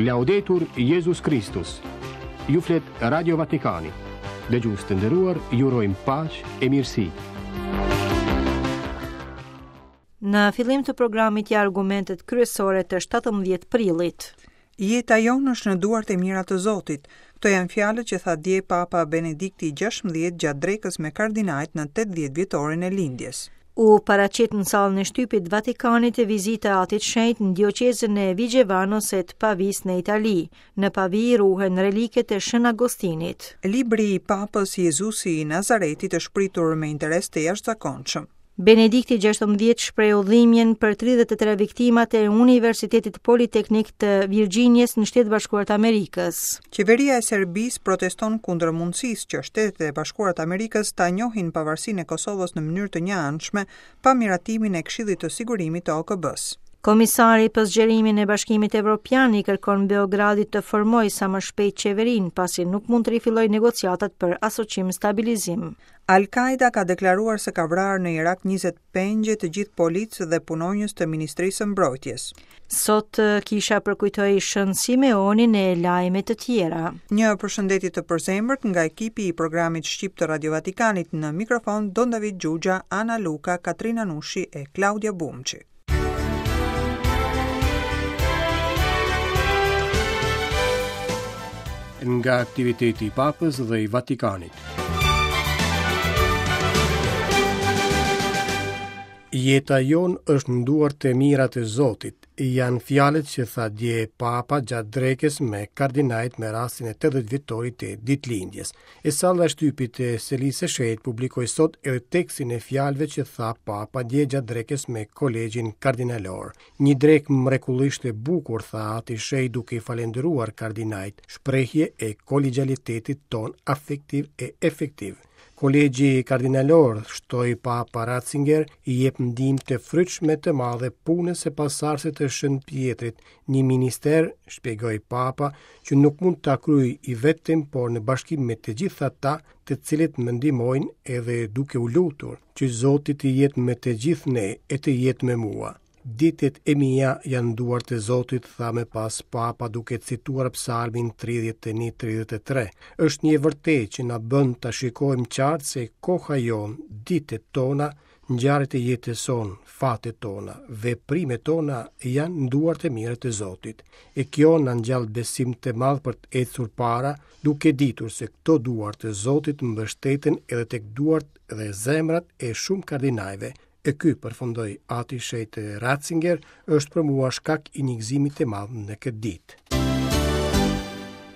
Laudetur Jezus Kristus. Ju flet Radio Vatikani. Dëgjues të nderuar, ju urojmë paqe e mirësi. Në fillim të programit ja argumentet kryesore të 17 prillit. Jeta jonë është në duart e mira të Zotit. Këto janë fjalët që tha dje Papa Benedikti XVI gjatë drekës me kardinajt në 80 vjetorin e lindjes. U paraqit në sallën e shtypit të Vatikanit vizita e Atit Shenjt në dioqezën e Vigevanos e të Pavisë në Itali. Në Pavi ruhen reliket e Shën Agostinit. Libri i Papës Jezusi i Nazaretit është pritur me interes të jashtëzakonshëm. Benedikti 16 shprehu dhimbjen për 33 viktimat e Universitetit Politeknik të Virxhinias në Shtetet e Bashkuara të Amerikës. Qeveria e Serbisë proteston kundër mundësisë që Shtetet e Bashkuara të Amerikës ta njohin pavarësinë e Kosovës në mënyrë të njëanshme pa miratimin e Këshillit të Sigurimit të OKB-së. Komisari për zgjerimin e Bashkimit Evropian i kërkon Beogradit të formojë sa më shpejt qeverinë, pasi nuk mund të rifillojë negociatat për asociim stabilizim. Al-Kaida ka deklaruar se ka vrarë në Irak 20 pengje të gjithë policë dhe punonjës të Ministrisë së Mbrojtjes. Sot kisha përkujtoi Shën Simeonin e lajme të tjera. Një përshëndetje të përzemërt nga ekipi i programit shqip të Radio Vatikanit në mikrofon Don David Xhuxha, Ana Luka, Katrina Nushi e Klaudia Bumçi. Nga aktiviteti i Papës dhe i Vatikanit. Jeta jonë është në duart e mira të Zotit, janë fjalët që tha dje Papa gjatë drekës me kardinajt me rastin e 80 vjetorit të ditëlindjes. E salla e shtypit të Selisë së Shenjtë publikoi sot edhe tekstin e fjalëve që tha Papa dje gjatë drekës me Kolegjin Kardinalor. Një drekë mrekullisht e bukur, tha Ati i Shenjtë duke i falënderuar kardinajt, shprehje e kolegjialitetit tonë afektiv e efektiv. Kolegji Kardinalor, shtoi Papa Ratzinger, i jep ndihmë të frytshme të madhe punës së pasardhësit të Shën Pjetrit, Një minister, shpjegoi Papa, që nuk mund ta kryej i vetëm, por në bashkim me të gjithë ata, të cilët më ndihmojnë edhe duke u lutur, që Zoti të jetë me të gjithë ne e të jetë me mua. Ditët e mia janë në duart e Zotit, tha më pas Papa duke cituar Psalmin 31-33. Është një e vërtetë që na bën ta shikojmë qartë se koha jonë, ditët tona, Ngjarjet e jetës sonë, fatet tona, veprimet tona janë në duart e mira të Zotit. E kjo na ngjall besim të madh për të ecur para, duke ditur se këto duar të Zotit mbështeten edhe tek duart dhe zemrat e shumë kardinajve. E ky, përfundoi Ati i Shenjtë Ratzinger, është për mua shkak i një gëzimi të madh në këtë ditë.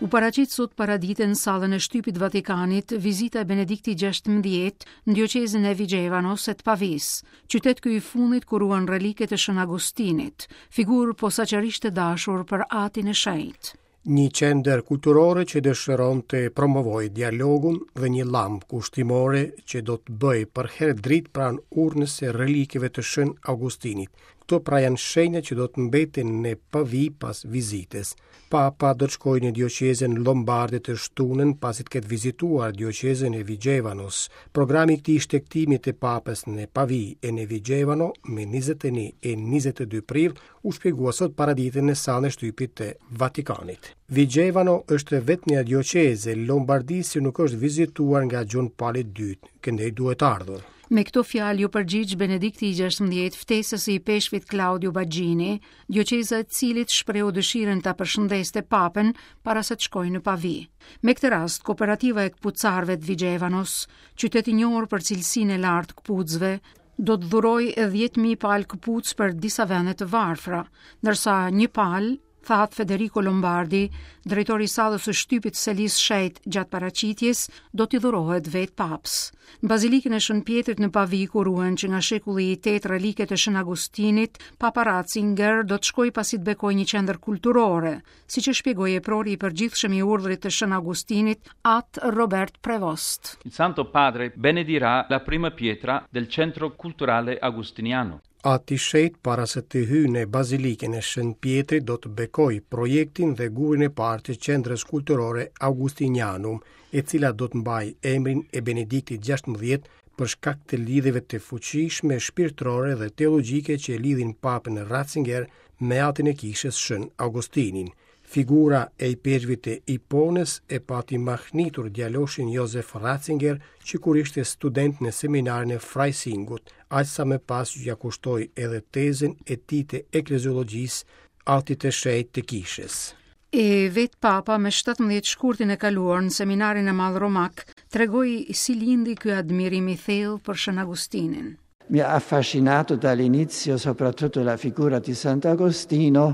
U paraqit sot paradite në sallën e shtypit të Vatikanit vizita e Benediktit XVI në dioqezën e Vigevanos e të Pavisë, qytet ky i fundit ku ruhen reliket e Shën Agustinit, figurë posaçërisht e dashur për Atin e Shenjtë. Një qendër kulturore që dëshiron të promovojë dialogun dhe një llambë kushtimore që do të bëjë përherë dritë pranë urnës së relikeve të Shën Augustinit. Këto pra janë shenja që do të mbeten në Pavi pas vizitës. Papa do të shkojë në dioqezën Lombarde të shtunën pasi të ketë vizituar dioqezën e Vigevanos. Programi i këtij shtegtimi të Papës në Pavi e në Vigevano me 21 e 22 prill u shpjegua sot paradite në sallën e shtypit të Vatikanit. Vigevano është e vetmja dioqezë e Lombardisë që nuk është vizituar nga Gjon Pali II, këndej duhet ardhur. Me këto fjalë iu përgjigj Benedikti i 16 ftesës së ipeshkvit Claudio Baggini, dioqeza e të cilit shprehu dëshirën ta përshëndeste Papën para se të shkojë në Pavi. Me këtë rast, kooperativa e këpucarëve të Vigevanos, qytet i njohur për cilësinë e lartë të këpucëve, do të dhurojë 10.000 palë këpucë për disa vende të varfra, ndërsa një palë tha At Federico Lombardi, drejtor i sallës së shtypit të Selisë së Shenjtë gjatë paraqitjes, do t'i dhurohet vetë Papës. Në Bazilikën e Shën Pjetrit në Pavi, ku ruhen që nga shekulli i 8 reliket e Shën Agustinit, Papa Ratzinger do të shkojë pasi të bekojë një qendër kulturore, siç e shpjegoi eprori i përgjithshëm i urdhrit të Shën Agustinit, At Robert Prevost. Il Santo Padre benedirà la prima pietra del Centro Culturale Agostiniano. Ati i Shenjtë para se të hyjë në Bazilikën e Shën Pjetrit do të bekojë projektin dhe gurin e parë të Qendrës Kulturore Augustinianum, e cila do të mbajë emrin e Benediktit XVI për shkak të lidhjeve të fuqishme shpirtërore dhe teologjike që e lidhin Papën Ratzinger me atin e Kishës Shën Augustinin. Figura e ipeshkvit të Iponës e pati mahnitur djaloshin Josef Ratzinger që kur ishte student në seminarin e Freisingut, aq sa më pas ia kushtoi edhe tezën e tij të ekleziologjisë Atit të Shenjtë të Kishës. E vetë Papa me 17 shkurtin e kaluar në seminarin e madh romak tregoi si lindi ky admirim i thellë për Shën Agustinin. Mi ha affascinato dall'inizio soprattutto la figura di Sant'Agostino.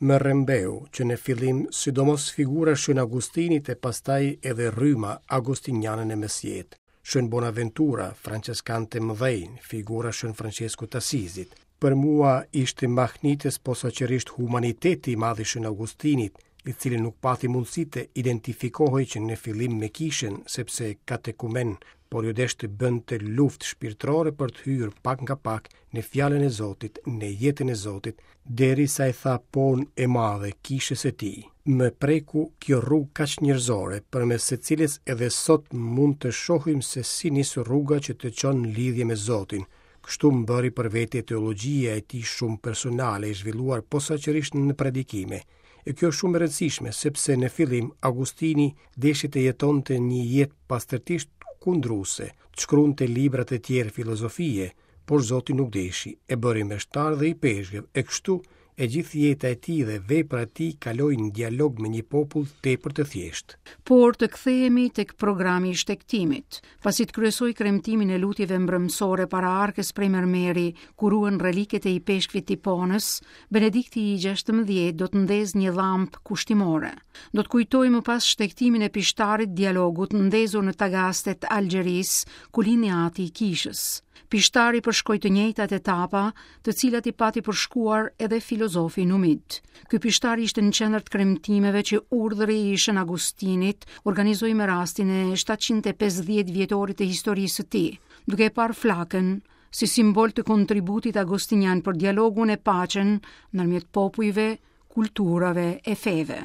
Më rrëmbeu që në fillim sidomos figura e Shën Agustinit e pastaj edhe rryma agustiniane në mesjetë. Shën Bonaventura, françeskanë të mëdhenj, figura e Shën Françeskut të Asizit. Për mua ishte mahnitës posaçërisht humaniteti i madh i Shën Augustinit, i cili nuk pati mundësi të identifikohej që në fillim me kishën, sepse katekumen, por iu desh të bënte luftë shpirtërore për të hyrë pak nga pak në fjalën e Zotit, në jetën e Zotit, derisa i tha po-në e madhe kishës së tij. Më preku kjo rrugë kaq njerëzore, përmes së cilës edhe sot mund të shohim se si nis rruga që të çon në lidhje me Zotin, Kështu më bëri për vete teologjia e tij shumë personale e zhvilluar posaçërisht në predikime. E kjo është shumë e rëndësishme, sepse në fillim Agustini deshi të jetonte një jetë pastërtisht kundruese, të shkruante libra të tjerë filozofie, por Zoti nuk deshi, e bëri meshtar dhe ipeshkëv, e kështu e gjithë jeta e tij dhe vepra e tij kaloi në dialog me një popull tepër të thjeshtë. Por të kthehemi tek programi i shtegtimit. Pasi të kryesojë kremtimin e lutjeve mbrëmësore para arkës prej mermeri, ku ruhen reliket e ipeshkvit të Iponës, Benedikti i 16 do të ndezë një llampë kushtimore. Do të kujtojë më pas shtegtimin e pishtarit dialogut ndezur në Tagaste të Algjerisë, ku lindi ati i kishës. Pishtari përshkoi të njëjtat etapa, të cilat i pati përshkuar edhe filozofi numid. Ky pishtar ishte në qendër të kremtimeve që urdhri i Shën Agustinit organizoi me rastin e 750 vjetorit të historisë së tij, duke e parë flakën si simbol të kontributit agustinian për dialogun e paqen ndërmjet popujve, kulturave e feve.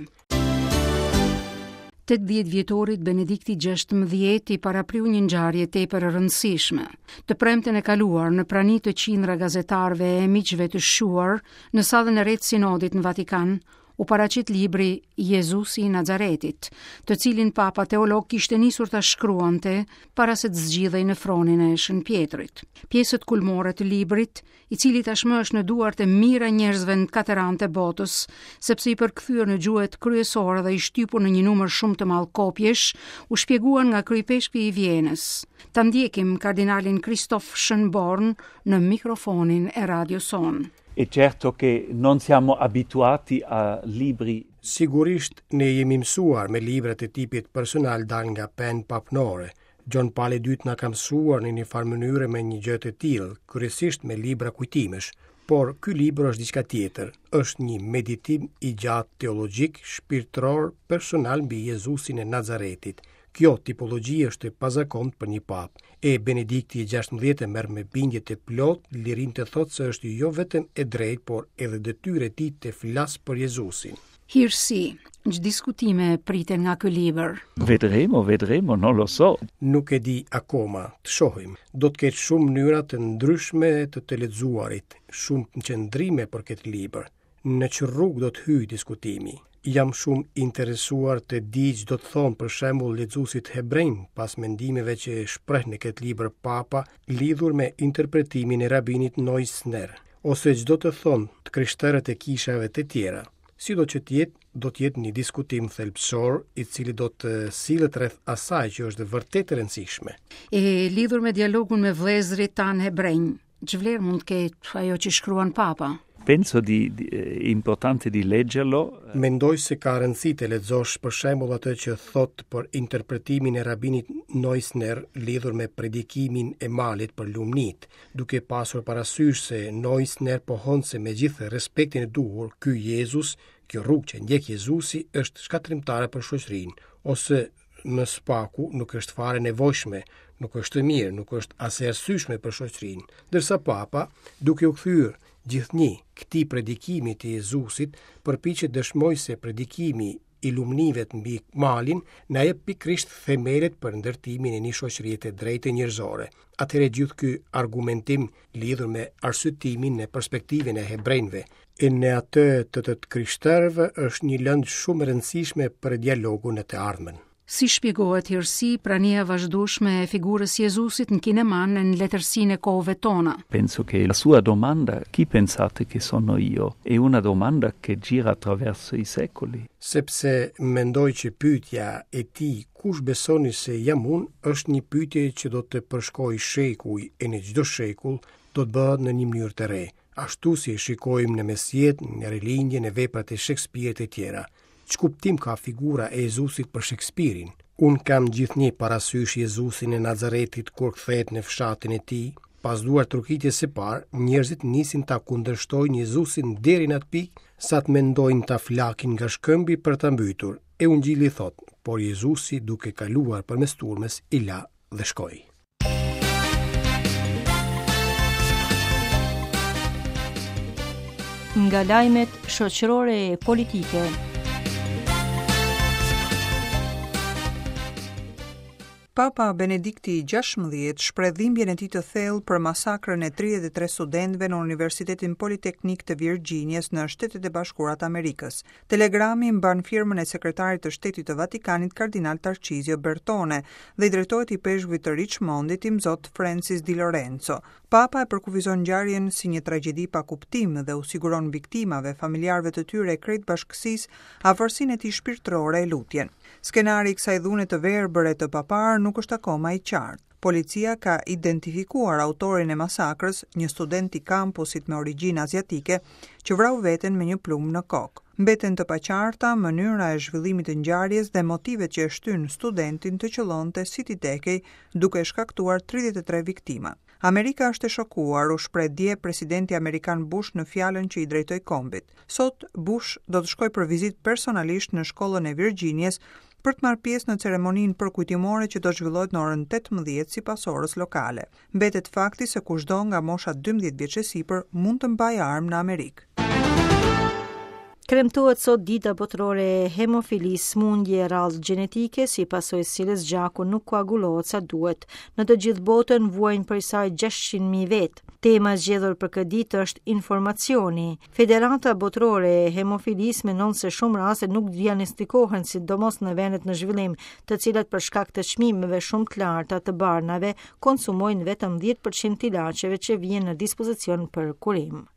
80 vjetorit Benedikti 16 i parapriu një ngjarje tepër e rëndësishme. Të premten e kaluar, në prani të qindra gazetarëve e miqve të shquar, në sallën e re të sinodit në Vatikan, u paraqit libri Jezusi i Nazaretit, të cilin Papa teolog kishte nisur ta shkruante para se të zgjidhej në fronin e Shën Pjetrit. Pjesët kulmore të librit i cili tashmë është në duart e mijëra njerëzve në katër anët e botës, sepse i përkthyer në gjuhët kryesore dhe i shtypur në një numër shumë të madh kopjesh, u shpjeguan nga kryeipeshkvi i Vjenës. Ta ndjekim kardinalin Christoph Schönborn në mikrofonin e radios sonë. E certo che non siamo abituati a libri Sigurisht, ne jemi mësuar me libra të tipit personal dalë nga penë papnore, Gjon Pali i Dytë na ka mësuar në një farë mënyre me një gjë të tillë, kryesisht me libra kujtimesh, por ky libër është diçka tjetër, është një meditim i gjatë teologjik, shpirtëror, personal mbi Jezusin e Nazaretit. Kjo tipologji është e pazakontë për një papë. E Benedikti i 16 e merr me bindje të plotë lirinë të thotë se është jo vetëm e drejtë, por edhe detyrë e tij të flasë për Jezusin. Hirësi, ç'diskutime priten nga ky libër? Vedremo, vedremo, non lo so. Nuk e di akoma, të shohim. Do të ketë shumë mënyra të ndryshme të të lexuarit, shumë qëndrime për këtë libër. Në ç'rrugë do të hyjë diskutimi? Jam shumë interesuar të di ç'do të thonë për shembull lexuesit hebrenj pas mendimeve që shpreh në këtë libër Papa lidhur me interpretimin e rabinit Neusner, ose ç'do të thonë të krishterët e kishave të tjera. Sido që të jetë, do të jetë një diskutim thelbësor i cili do të sillet rreth asaj që është vërtet e rëndësishme. E lidhur me dialogun me vëllezërit tanë hebrenj, ç'vlerë mund të ketë ajo që shkruan Papa? Penso di, di eh, importante di leggerlo. Mendoj se ka rëndësi të lexosh për shembull atë që thotë për interpretimin e rabinit Neusner lidhur me predikimin e malit për lumnitë. duke pasur parasysh se Neusner pohon se me gjithë respektin e duhur, ky Jezus, kjo rrugë që ndjek Jezusi është shkatërrimtare për shoqërinë, ose më së paku nuk është fare e nevojshme, nuk është e mirë, nuk është as e arsyeshme për shoqërinë. Ndërsa Papa, duke u kthyer gjithnjë këtij predikimi të Jezusit, përpiqet të dëshmojë se predikimi. i Lumnive mbi malin na jep pikërisht themelet për ndërtimin e një shoqërie të drejtë njerëzore. Atëherë gjithë ky argumentim lidhur me arsyetimin në perspektivën e hebrenjve e në atë të të krishterëve është një lëndë shumë e rëndësishme për dialogun në të ardhmen. Si shpjegohet hirësi prania e vazhdueshme e figurës së Jezusit në kinema e në letërsinë e kohëve tona? Penso che la sua domanda chi pensate che sono io è una domanda che gira attraverso i secoli. Sepse mendoj që pyetja e tij kush besoni se jam unë është një pyetje që do të përshkojë shekuj e në çdo shekull do të bëhet në një mënyrë të re, ashtu si e shikojmë në mesjetë, në rilindje, në veprat e Shekspirit e tjera. Ç'kuptim ka figura e Jezusit për Shekspirin? Unë kam gjithnjë parasysh Jezusin e Nazaretit kur kthehet në fshatin e tij. Pas duartrokitjes së parë, njerëzit nisin ta kundërshtojnë Jezusin deri në atë pikë sa të mendojnë ta flakin nga shkëmbi për ta mbytur. E Ungjilli thotë, por Jezusi duke kaluar përmes turmës i la dhe shkoi. Nga lajmet shoqërore e politike. Papa Benedikti XVI shpreh dhimbjen e tij të thellë për masakrën e 33 studentëve në Universitetin Politeknik të Virxhinias në Shtetet e Bashkuara të Amerikës. Telegrami mban firmën e Sekretarit të Shtetit të Vatikanit Kardinal Tarcizio Bertone dhe i drejtohet ipeshkvit të Richmondit, Imzot Francis Di Lorenzo. Papa e përkufizon ngjarjen si një tragjedi pa kuptim dhe u siguron viktimave, familjarëve të tyre e krejt bashkësisë afërsinë e tij shpirtërore e lutjen. Skenari i kësaj dhune të verbër e të paparë nuk është akoma i qartë. Policia ka identifikuar autorin e masakrës, një student i kampusit me origjinë aziatike, që vrau veten me një plumb në kokë. Mbeten të paqarta mënyra e zhvillimit të ngjarjes dhe motivet që e shtynë studentin të qëllonte si t'i tekej, duke shkaktuar 33 viktima. Amerika është e shokuar, u shpreh dje presidenti amerikan Bush në fjalën që i drejtoi kombit. Sot, Bush do të shkojë për vizitë personalisht në shkollën e Virxhinias për të marrë pjesë në ceremoninë përkujtimore që do të zhvillohet në orën 18 sipas orës lokale. Mbetet fakti se kushdo nga mosha 12 vjeç e sipër mund të mbajë armë në Amerikë. Kremtohet sot dita botërore e hemofilisë, sëmundje e rrallë gjenetike, si pasojë e së cilës gjaku nuk koagulohet sa duhet. Në të gjithë botën vuajnë prej saj 600.000 vetë. Tema e zgjedhur për këtë ditë është informacioni. Federata Botërore e Hemofilisë mendon se shumë raste nuk diagnostikohen, sidomos në vendet në zhvillim, të cilat për shkak të çmimeve shumë të larta të barnave konsumojnë vetëm 10% të ilaçeve që vihen në dispozicion për kurim.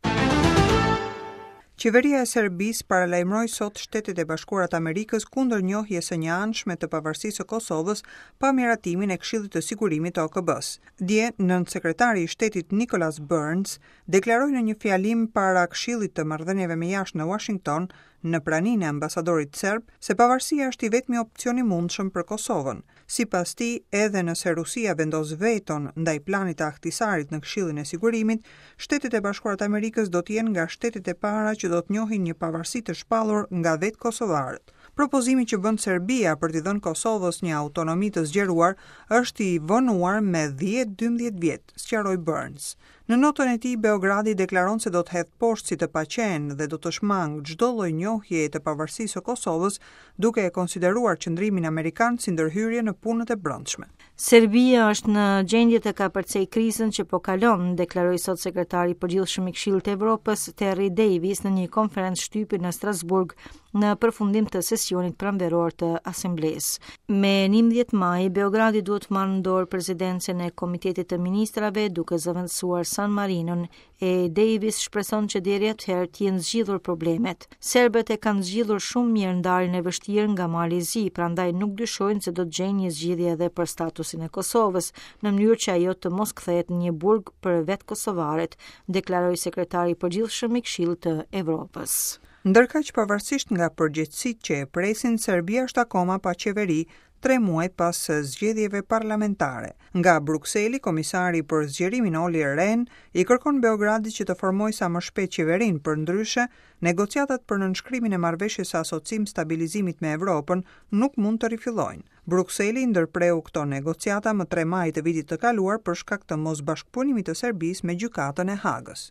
Qeveria e Serbisë paralajmëroi sot Shtetet e Bashkuara të Amerikës kundër njohjes së njëanshme të pavarësisë së Kosovës pa miratimin e Këshillit të Sigurimit të OKB-së. Dje, nënsekretari i Shtetit Nicholas Burns deklaroi në një fjalim para Këshillit të Marrëdhënieve me Jashtë në Uashington, në praninë e ambasadorit serb, se pavarësia është i vetmi opcion i mundshëm për Kosovën. Sipas tij, edhe nëse Rusia vendos veton ndaj planit të Ahtisarit në Këshillin e Sigurimit, Shtetet e Bashkuara të Amerikës do të jenë nga shtetet e para që do të njohin një pavarësi të shpallur nga vetë kosovarët. Propozimi që bën Serbia për t'i dhënë Kosovës një autonomi të zgjeruar është i vonuar me 10-12 vjet, sqaroi Burns. Në notën e tij, Beogradi deklaron se do të hedhë poshtë si të paqenë dhe do të shmangë çdo lloj njohjeje të pavarësisë së Kosovës, duke e konsideruar qëndrimin amerikan si ndërhyrje në punët e brendshme. Serbia është në gjendje të kapërcejë krizën që po kalon, deklaroi sot sekretari i përgjithshëm i Këshillit të Evropës, Terry Davis, në një konferencë shtypi në Strasburg në përfundim të sesionit pranveror të Asamblesë. Me 11 maj, Beogradi duhet të marrë në dorë presidencën e Komitetit të Ministrave duke zëvendësuar San Marinon e Davis shpreson që deri atëherë të jenë zgjidhur problemet. Serbët e kanë zgjidhur shumë mirë ndarjen e vështirë nga Mali i Zi, prandaj nuk dyshojnë se do të gjejnë një zgjidhje edhe për statusin e Kosovës, në mënyrë që ajo të mos kthehet në një burg për vetë kosovarët, deklaroi sekretari i përgjithshëm i Këshillit të Evropës. Ndërkaq pavarësisht nga përgjegjësitë që e presin, Serbia është akoma pa qeveri, tre muaj pas zgjedhjeve parlamentare. Nga Brukseli, komisari për zgjerimin Olli Rehn i kërkon Beogradit që të formojë sa më shpejt qeverinë, përndryshe, negociatat për nënshkrimin e marrëveshjes së asociim stabilizimit me Evropën nuk mund të rifillojnë. Brukseli i ndërpreu këto negociata më 3 maj të vitit të kaluar për shkak të mosbashkëpunimit të Serbisë me Gjykatën e Hagës.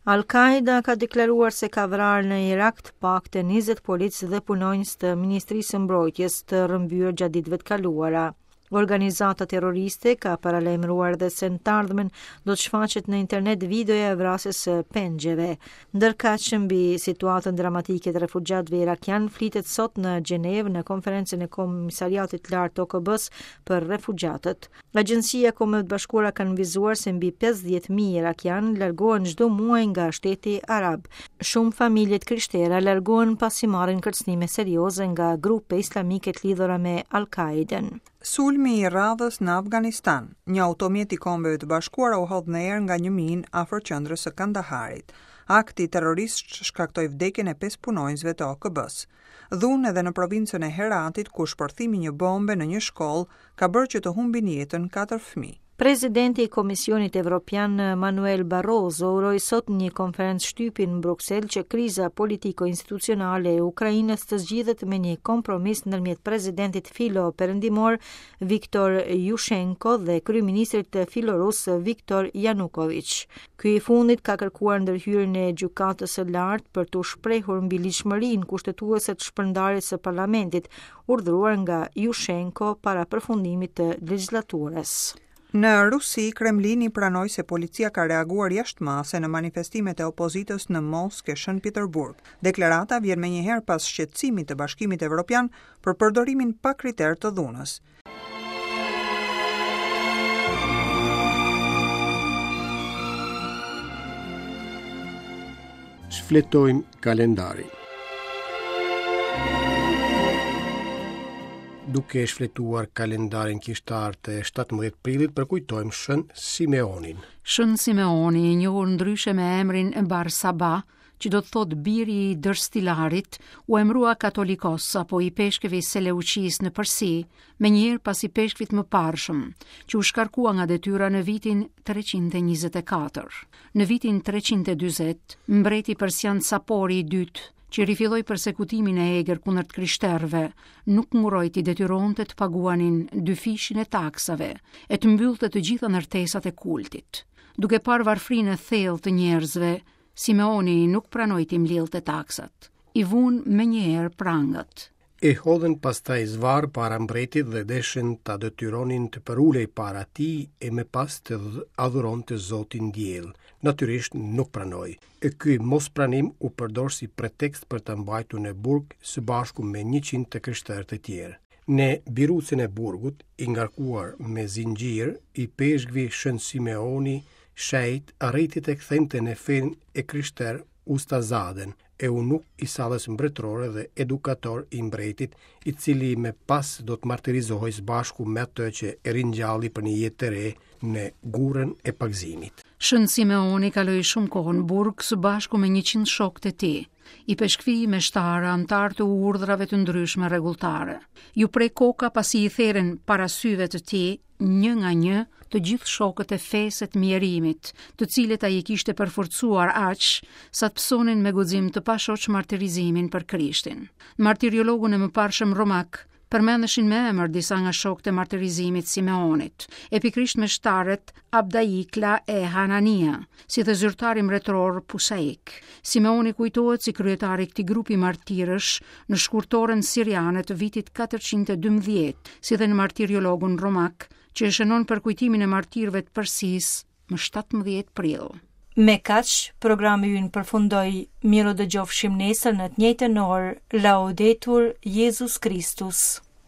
Al-Qaeda ka deklaruar se ka vrarë në Irak të paktën 20 policë dhe punonjës të Ministrisë së Mbrojtjes të rrëmbyer gjatë ditëve të kaluara. Organizata terroriste ka paralajmëruar dhe se në të ardhmen do të shfaqet në internet videoja e vrasjes së pengjeve. Ndërkaq mbi situatën dramatike të refugjatëve irakianë flitet sot në Gjenevë në konferencën e Komisariatit të Lartë të OKB-së për refugjatët. Agjencia e Kombeve të Bashkuara ka nënvizuar se mbi 50.000 irakianë largohen çdo muaj nga shteti arab. Shumë familje të krishtera largohen pasi marrin kërcënime serioze nga grupe islamike të lidhura me Al-Qaiden. Sulmi i radhës në Afganistan, një automjet i Kombeve të Bashkuara u hodh në erë nga një minë afër qendrës së Kandaharit. Akti terrorist shkaktoi vdekjen e pesë punonjësve të OKB-së. Dhunë edhe në provincën e Heratit, ku shpërthimi i një bombe në një shkollë ka bërë që të humbin jetën katër fëmijë. Presidenti i Komisionit Evropian Manuel Barroso uroi sot në një konferencë shtypi në Bruksel që kriza politiko-institucionale e Ukrainës të zgjidhet me një kompromis ndërmjet presidentit filo-perëndimor Viktor Jushenko dhe kryeministrit filorus Viktor Janukoviç. Ky i fundit ka kërkuar ndërhyrjen e Gjykatës së Lartë për t'u shprehur mbi ligjshmërinë kushtetuese të shpërndarjes së parlamentit, urdhëruar nga Jushenko para përfundimit të legjislaturës. Në Rusi, Kremlini pranoi se policia ka reaguar jashtë mase në manifestimet e opozitës në Moskë e Shën Peterburg. Deklarata vjen menjëherë pas shqetësimit të Bashkimit Evropian për përdorimin pa kriter të dhunës. Shfletojmë kalendarin. Duke shfletuar kalendarin kishtar të 17 prillit, përkujtojmë Shën Simeonin. Shën Simeoni, i njohur ndryshe me emrin Barsaba, që do të thotë biri i dërstilarit, u emërua katolikos apo ipeshkëv i Seleuqisë në Persi, menjëherë pas ipeshkvit të mëparshëm, që u shkarkua nga detyra në vitin 324. Në vitin 340, mbreti persian Sapori i dytë, që rifilloi persekutimin e egër kundër të krishterëve, nuk ngurroi t'i detyronte të paguanin dyfishin e taksave e të mbyllte të gjitha ndërtesat e kultit. Duke parë varfrinë e thellë të njerëzve, Simeoni nuk pranoi t'i mblidhte taksat. I vunë menjëherë prangat. E hodhën pastaj zvarrë para mbretit dhe deshën ta detyronin të përulej para tij e më pas të adhuronte Zotin Diell. Natyrisht nuk pranoi. E ky mospranim u përdor si pretekst për ta mbajtur në burg së bashku me 100 të krishterë të tjerë. Në birucën e burgut, i ngarkuar me zinxhirë, ipeshkvi Shën Simeoni Shenjt arriti të kthente në fenë e krishterë Ustazaden, eunuk i sallës mbretërore dhe edukator i mbretit, i cili më pas do të martirizohej së bashku me atë që e ringjalli për një jetë të re në gurrën e pagëzimit. Shën Simeoni kaloi shumë kohë në burg së bashku me 100 shokët e tij, ipeshkvij, meshtarë, anëtarë të urdhrave të ndryshme rregulltare. Iu pre koka pasi i therën para syve të tij një nga një të gjithë shokët e fesë e të mjerimit, të cilët ai i kishte përforcuar aq sa të pësonin me guxim të pashoq martirizimin për Krishtin. Në martiriologun e mëparshëm romak përmendeshin me emër disa nga shokët e martirizimit të Simeonit, e pikërisht meshtarët Abdaikla e Hanania, si dhe zyrtari mbretëror Pusaik. Simeoni kujtohet si kryetar i këtij grupi martirësh në shkurtoren siriane të vitit 412, si dhe në martiriologun romak, që e shënon përkujtimin e martirëve të Persisë më 17 prill. Me kaq, programi ynë përfundoi. Mirudëgjofshim nesër në të njëjtën orë. Laudetur Jezus Kristus.